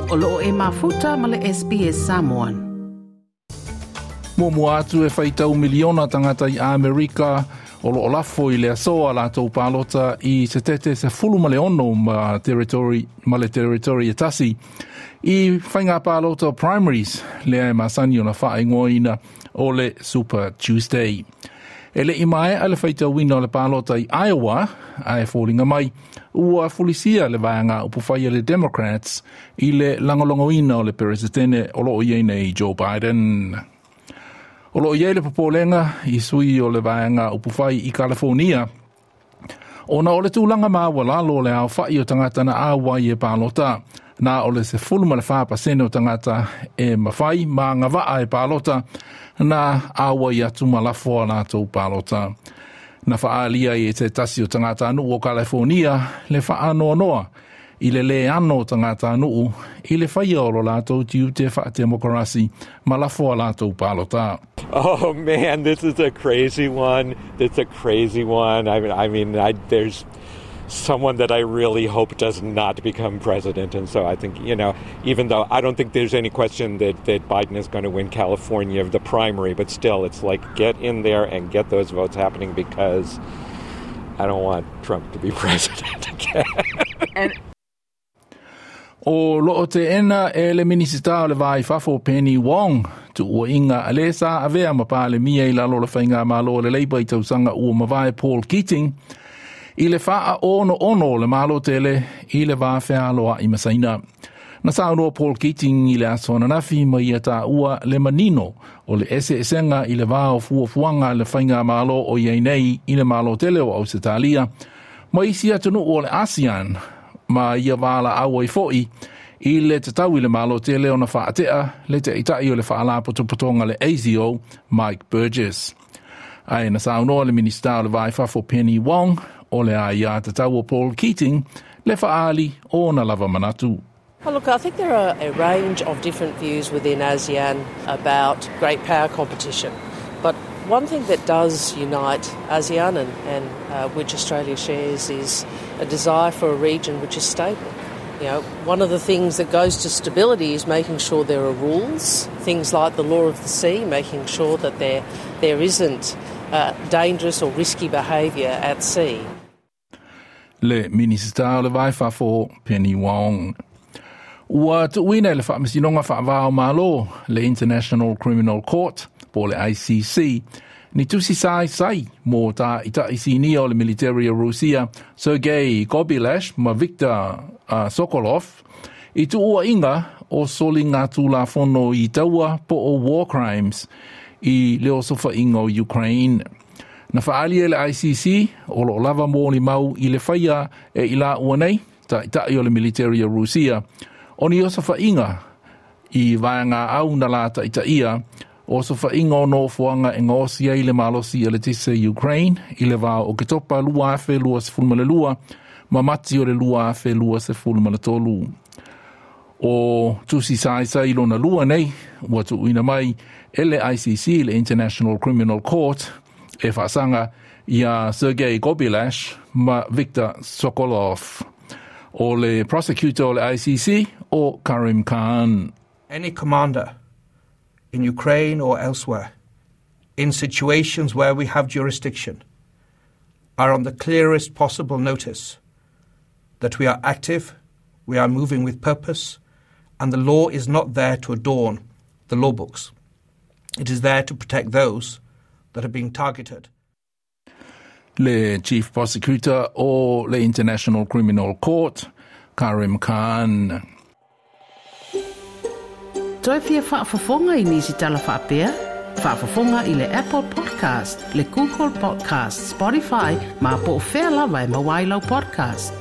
O loo e mafuta ma le SBS Samoan. Muamua atu e faitau miliona tagata i Amerika o loo lafo i le aso a latou palota i Setete 16 ma territory ma le territory e tasi i faiga palota primaries lea e masani ona faaigoaina o le Super Tuesday. E le i maea le faitauina o le palota i Iowa, ae foliga mai ua fulisia le vaega upufai a le Democrats i le lagolagoina o le Peresetene o loo i ai nei Joe Biden. O loo i ai le popolega i sui o le vaega upufai i California, ona o le tulaga maualalo o le aofai o tagata na auai e palota, na o le 14% o tagata e mafai ma agavaa e palota na auai atu ma lafo a latou palota. Na faaalia e se tasi o tagatanuu o California le faanoanoa i le lē ano o tagatanuu i le faia o lo latou tiute faatemokarasi ma lafo a latou palota. Oh man, this is a crazy one. It's a crazy one. I mean, there's someone that I really hope does not become president. And so I think, even though I don't think there's any question that Biden is going to win California, the primary, but still, it's like get in there and get those votes happening because I don't want Trump to be president again. And O loo teena e le Minisita o le Va i Fafo Penny Wong, tuuaiga a le sa avea ma Palemia i lalo o le Faigamalo o le Labour i tausaga ua mavae Paul Keating, i le faaonoono o le Malo tele i le va fealoai ma Saina. Na saunoa Paul Keating i le aso ananafi ma ia taua le manino o le eseesega i le va o fuafuaga a le Faigamalo o i ai nei i le Malo tele o Ausetalia ma isi atunuu o le ASEAN ma ia valaau ai foi i le tatau i le Malo tele ona faatea le taitai o le faalapotopotoga le ASIO Mike Burgess. Ae na saunoa le Minisita o le Va i Fafo Penny Wong o le aiatatau o Paul Keating le faaali o ona lava manatu. Well, look, I think there are a range of different views within ASEAN about great power competition. But one thing that does unite ASEAN and which Australia shares is a desire for a region which is stable. One of the things that goes to stability is making sure there are rules, things like the law of the sea, making sure that there isn't dangerous or risky behaviour at sea. Le Minisita o le Va i Fafo Penny Wong. Ua tuuina e le Faamasinoga Faava o Malo le International Criminal Court po le ICC ni tusi saisai mo taitai sinia o le military o Rusia Sergei Kobylash ma Viktor Sokolov i tuuaiga o soligatulafono i taua po o war crimes i le osofaiga o Ukraine. Na faaali e le ICC o loo lava molimau i le faia e i laua nei, taitai o le military o Rusia, o ni osofaiga i vaega au na la taitaia osofaiga o nofoaga e gaosi ai le malosi a le tise Ukraine i le va o Oketopa 2022 ma Mati o le 2023. O tusi saisai lona lua nei ua tuuina mai e le ICC, le International Criminal Court, e faasaga ia Sergei Kobylash ma Viktor Sokolov. O le prosecutor o le ICC o Karim Khan. Any commander in Ukraine or elsewhere, in situations where we have jurisdiction, are on the clearest possible notice that we are active, we are moving with purpose, and the law is not there to adorn the law books. It is there to protect those that are being targeted. Le Chief Prosecutor o le International Criminal Court, Karim Khan. Toe fia faafofoga i nisi tala faapea? Faafofoga i le Apple Podcast, le Google Podcast, Spotify, ma po o fea lava e maua ai lau podcast.